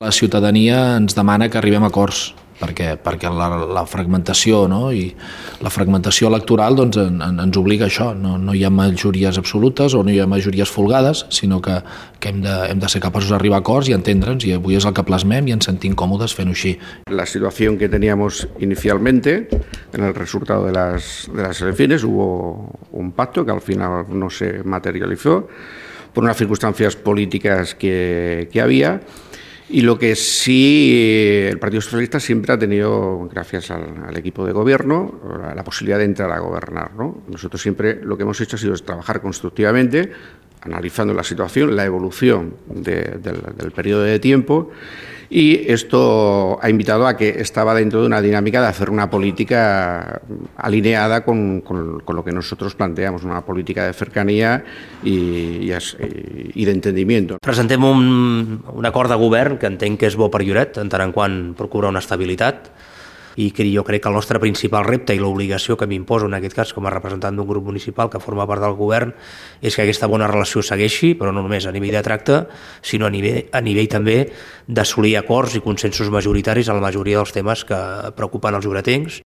La ciutadania ens demana que arribem a acords, perquè la fragmentació, no? I la fragmentació electoral doncs, ens obliga a això. No hi ha majories absolutes o no hi ha majories folgades, sinó que hem de ser capaços d'arribar a acords i entendre'ns, i avui és el que plasmem i ens sentim còmodes fent-ho així. La situación que teníamos inicialmente, en el resultado de las elecciones, hubo un pacto que al final no se materializó por unas circunstancias políticas que había. Y lo que sí, el Partido Socialista siempre ha tenido, gracias al equipo de gobierno, la posibilidad de entrar a gobernar, ¿no? Nosotros siempre lo que hemos hecho ha sido trabajar constructivamente, analizando la situación, la evolución del periodo de tiempo, y esto ha invitado a que estaba dentro de una dinámica de hacer una política alineada con lo que nosotros planteamos, una política de cercanía i d'entendiment. Presentem un acord de govern que entenc que és bo per Lloret, en tant en quant procura una estabilitat, i que jo crec que el nostre principal repte i l'obligació que m'imposo en aquest cas com a representant d'un grup municipal que forma part del govern és que aquesta bona relació segueixi, però no només a nivell de tracte, sinó a nivell també d'assolir acords i consensos majoritaris en la majoria dels temes que preocupen els lloretencs.